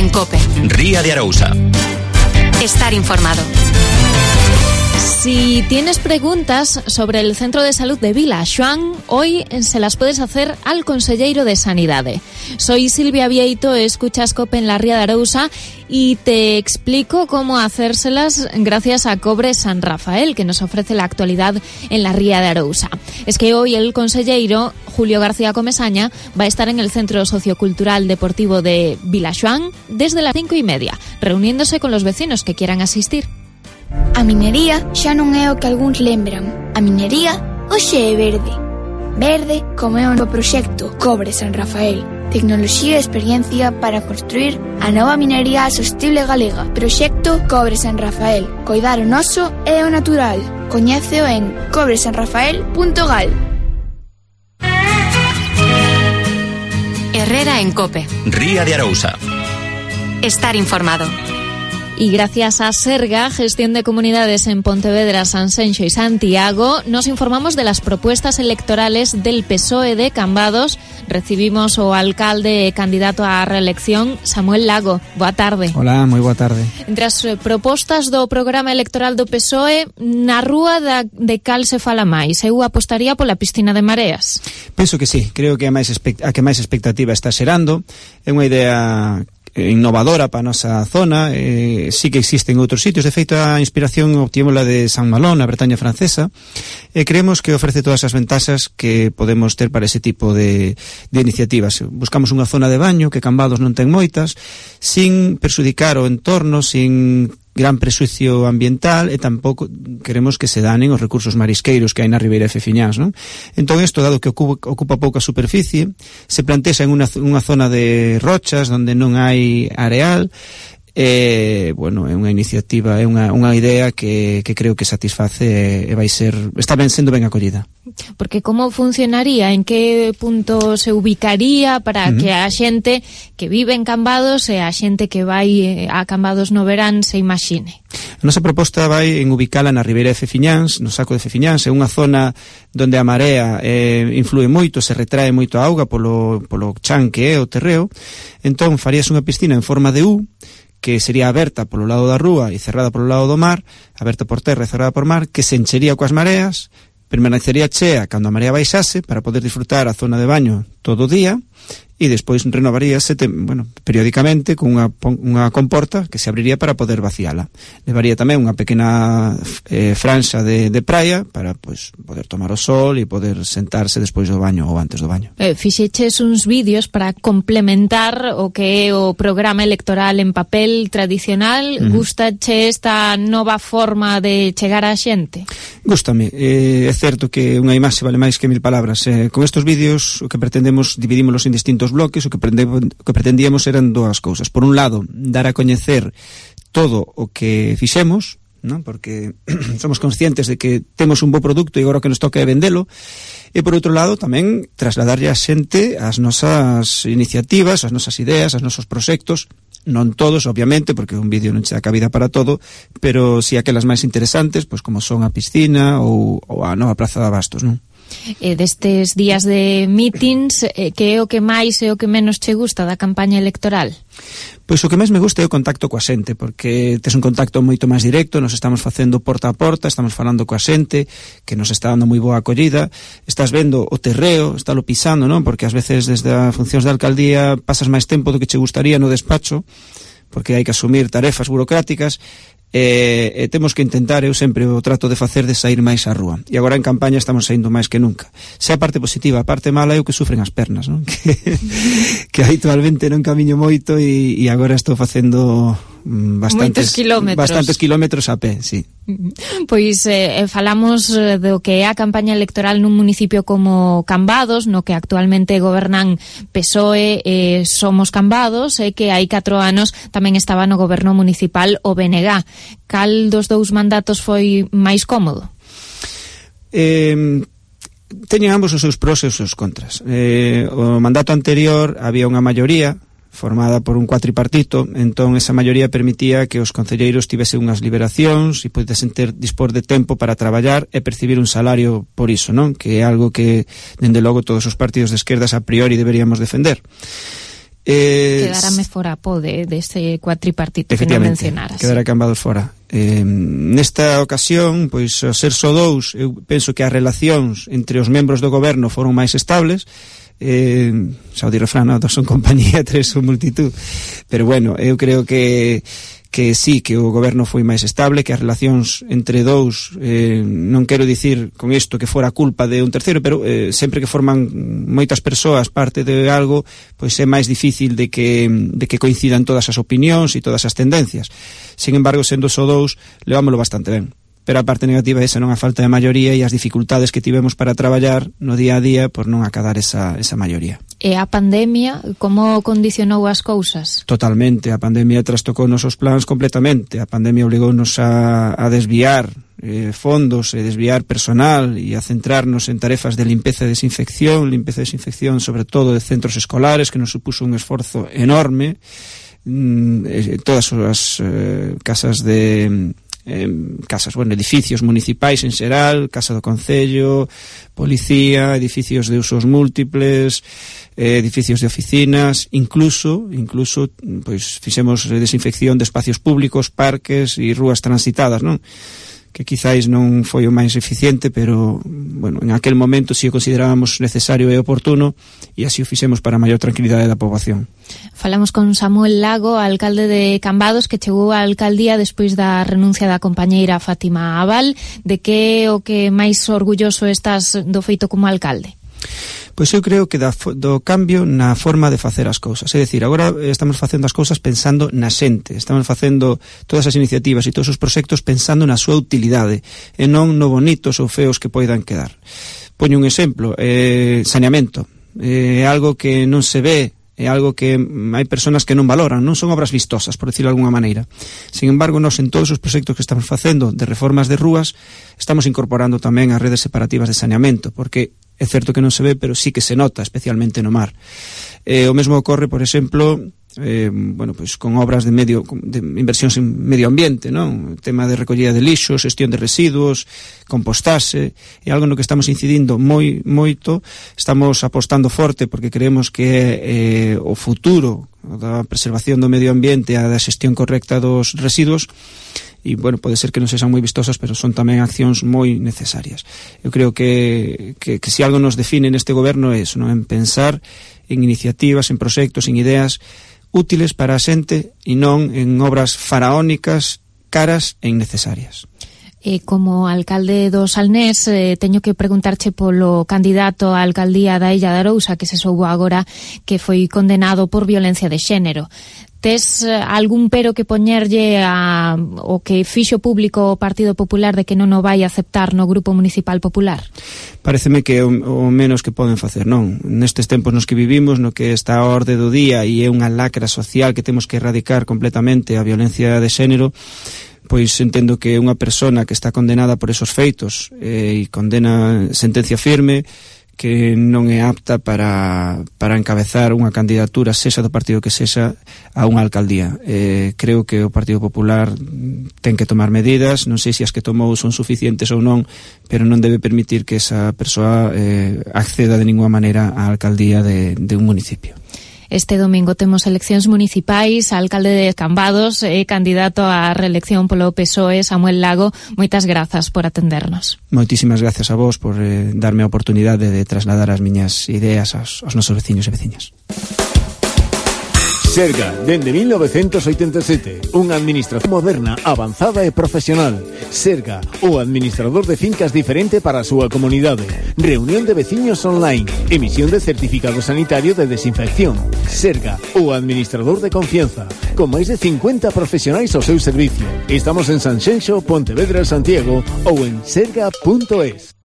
en COPE. Ría de Arousa. Estar informado. Si tienes preguntas sobre el Centro de Salud de Vilaxoán, hoy se las puedes hacer al conselleiro de Sanidade. Soy Silvia Vieito, escuchas COPE en la Ría de Arousa y te explico cómo hacérselas gracias a Cobre San Rafael, que nos ofrece la actualidad en la Ría de Arousa. Es que hoy el conselleiro Julio García Comesaña va a estar en el Centro Sociocultural Deportivo de Vilaxoán desde las 5:30, reuniéndose con los vecinos que quieran asistir. A minería xa non é o que algúns lembran. A minería hoxe é verde. Verde como é o novo proxecto Cobre San Rafael. Tecnoloxía e experiencia para construir a nova minería sostible galega. Proxecto Cobre San Rafael. Coidar o noso e o natural. Coñéceo en cobresanrafael.gal. Herrera en COPE. Ría de Arousa. Estar informado. Y gracias a Serga, Gestión de Comunidades en Pontevedra, Sanxenxo y Santiago, nos informamos de las propuestas electorales del PSOE de Cambados. Recibimos o alcalde e candidato á reelección, Samuel Lago. Boa tarde. Hola, moi boa tarde. Entre as propostas do programa electoral do PSOE, na rúa de cal se fala máis? Eu apostaría pola piscina de Mareas. Penso que sí, creo que a que máis expectativa está xerando. É unha idea innovadora para a nosa zona, sí que existen outros sitios. De feito, a inspiración obtivemos de San Malo, na Bretaña francesa, e creemos que ofrece todas as ventaxas que podemos ter para ese tipo de iniciativas. Buscamos unha zona de baño que Cambados non ten moitas, sin perxudicar o entorno, sin gran prexuicio ambiental, e tampouco queremos que se danen os recursos marisqueiros que hai na Ribeira de Fefiñáns, non? Entón, isto, dado que ocupa pouca superficie, se plantexa en unha zona de rochas onde non hai areal. Bueno, é unha iniciativa, é unha idea que creo que satisface e vai ser, está sendo ben acollida. Porque como funcionaría, en que punto se ubicaría para que a xente que vive en Cambados e a xente que vai a Cambados no verán se imagine? A nosa proposta vai en ubicala na Ribeira de Fefiñáns, no saco de Fefiñáns. É unha zona onde a marea influe moito, se retrae moito a auga polo chan que é o terreo. Entón farías unha piscina en forma de U, que sería aberta polo lado da rúa e cerrada polo lado do mar, aberta por terra e cerrada por mar, que se enchería coas mareas, permanecería chea cando a marea baixase para poder disfrutar a zona de baño todo o día, e despois renovaríase periódicamente con unha comporta que se abriría para poder vaciala. Levaría tamén unha pequena franxa de praia para poder tomar o sol e poder sentarse despois do baño ou antes do baño. Fixeches uns vídeos para complementar o que é o programa electoral en papel tradicional. Gustache esta nova forma de chegar á xente? Gústame. É certo que unha imaxe vale máis que 1000 palabras. Con estes vídeos o que pretendemos, dividímolos en distintos bloques. O que pretendíamos eran dúas cousas. Por un lado, dar a coñecer todo o que fixemos, non? Porque somos conscientes de que temos un bo produto e agora o que nos toca é vendelo. E por outro lado, tamén trasladarlle a xente as nosas iniciativas, as nosas ideas, os nosos proxectos. Non todos, obviamente, porque un vídeo non che dá cabida para todo, pero si aquelas máis interesantes, como son a piscina ou a nova Praza de Abastos, non? Destes días de meetings, que é o que máis e o que menos che gusta da campaña electoral? Pois o que máis me gusta é o contacto coa xente, porque tes un contacto moito máis directo, nos estamos facendo porta a porta, estamos falando coa xente, que nos está dando moi boa acollida, estás vendo o terreo, estálo pisando, non? Porque ás veces desde as funcións da alcaldía pasas máis tempo do que che gustaría no despacho, porque hai que asumir tarefas burocráticas, e temos que intentar, eu sempre o trato de facer, de sair máis á rúa, e agora en campaña estamos saindo máis que nunca. Se a parte positiva, a parte mala é o que sufren as pernas, non? que habitualmente non camiño moito e agora estou facendo bastantes kilómetros a pé, sí. Pois falamos do que é a campaña electoral nun municipio como Cambados, no que actualmente gobernan PSOE e Somos Cambados, e que hai 4 anos tamén estaba no goberno municipal o BNG. Cal dos dous mandatos foi máis cómodo? Teñen ambos os seus pros e os seus contras. O mandato anterior había unha maioría formada por un cuatripartito, entón esa maioría permitía que os concelleiros tivesen unhas liberacións e podesen dispor de tempo para traballar e percibir un salario por iso, non? Que é algo que, dende logo, todos os partidos de esquerdas a priori deberíamos defender. Quedarame fora deste cuatripartito que non mencionaras. Quedará cambados fora. Nesta ocasión, pois, ao ser só dous, eu penso que as relacións entre os membros do goberno foron máis estables. Xa o di refrán, dos son compañía, tres son multitud. Pero bueno, eu creo que sí, que o goberno foi máis estable, que as relacións entre dous, non quero dicir con isto que fora culpa de un terceiro, pero sempre que forman moitas persoas parte de algo, pois é máis difícil de que coincidan todas as opinións e todas as tendencias. Sin embargo, sendo só dous, levámoslo bastante ben. Pero a parte negativa é esa, non a falta de maioría e as dificultades que tivemos para traballar no día a día por non acadar esa maioría. E a pandemia, como condicionou as cousas? Totalmente, a pandemia trastocou nosos plans completamente. A pandemia obligounos a desviar fondos e desviar personal e a centrarnos en tarefas de limpeza e desinfección sobre todo de centros escolares, que nos supuso un esforzo enorme. Todas as casas edificios municipais en xeral, Casa do Concello, Policía, edificios de usos múltiples, edificios de oficinas, incluso pois fixemos desinfección de espacios públicos, parques e rúas transitadas, non? Que quizáis non foi o máis eficiente, pero, bueno, en aquel momento si o considerábamos necesario e oportuno, e así o fixemos para a maior tranquilidade da poboación. Falamos con Samuel Lago, alcalde de Cambados, que chegou á alcaldía despois da renuncia da compañeira Fátima Abal. De que o que máis orgulloso estás do feito como alcalde? Pois eu creo que do cambio na forma de facer as cousas. É dicir, agora estamos facendo as cousas pensando na xente, estamos facendo todas as iniciativas e todos os proxectos pensando na súa utilidade e non no bonitos ou feos que poidan quedar. Poño un exemplo, saneamento. É algo que non se ve, é algo que hai persoas que non valoran, non son obras vistosas, por decirlo de alguna maneira. Sin embargo, nós en todos os proxectos que estamos facendo de reformas de rúas estamos incorporando tamén as redes separativas de saneamento, porque é certo que non se ve, pero sí que se nota, especialmente no mar. O mesmo ocorre, por exemplo, pois con obras de inversións en medio ambiente, non? O tema de recollida de lixos, xestión de residuos, compostaxe, é algo no que estamos incidindo moito, estamos apostando forte porque creemos que o futuro da preservación do medio ambiente e da xestión correcta dos residuos. E, bueno, pode ser que non sexan moi vistosas, pero son tamén accións moi necesarias. Eu creo que se algo nos define neste goberno é eso, non? En pensar en iniciativas, en proxectos, en ideas útiles para a xente e non en obras faraónicas, caras e innecesarias. Como alcalde do Salnés, teño que preguntarche polo candidato á alcaldía da Illa de Arousa, que se soubo agora que foi condenado por violencia de xénero. Tes algún pero que poñerlle o que fixo público o Partido Popular de que non o vai aceptar no Grupo Municipal Popular? Pareceme que é o menos que poden facer, non? Nestes tempos nos que vivimos, no que está a orde do día e é unha lacra social que temos que erradicar completamente a violencia de xénero, pois entendo que unha persona que está condenada por esos feitos e condena sentencia firme, que non é apta para encabezar unha candidatura, sexa do partido que sexa, a unha alcaldía. Creo que o Partido Popular ten que tomar medidas, non sei se as que tomou son suficientes ou non, pero non debe permitir que esa persoa acceda de ninguna maneira á alcaldía de un municipio. Este domingo temos eleccións municipais, alcalde de Cambados e candidato á reelección polo PSOE, Samuel Lago. Moitas grazas por atendernos. Moitísimas gracias a vos por darme a oportunidade de trasladar as miñas ideas aos nosos veciños e veciñas. Serga, dende 1987, unha administración moderna, avanzada e profesional. Serga, o administrador de fincas diferente para a súa comunidade. Reunión de veciños online, emisión de certificado sanitario de desinfección. Serga, o administrador de confianza, con máis de 50 profesionais ao seu servicio. Estamos en Sanxenxo, Pontevedra, Santiago ou en serga.es.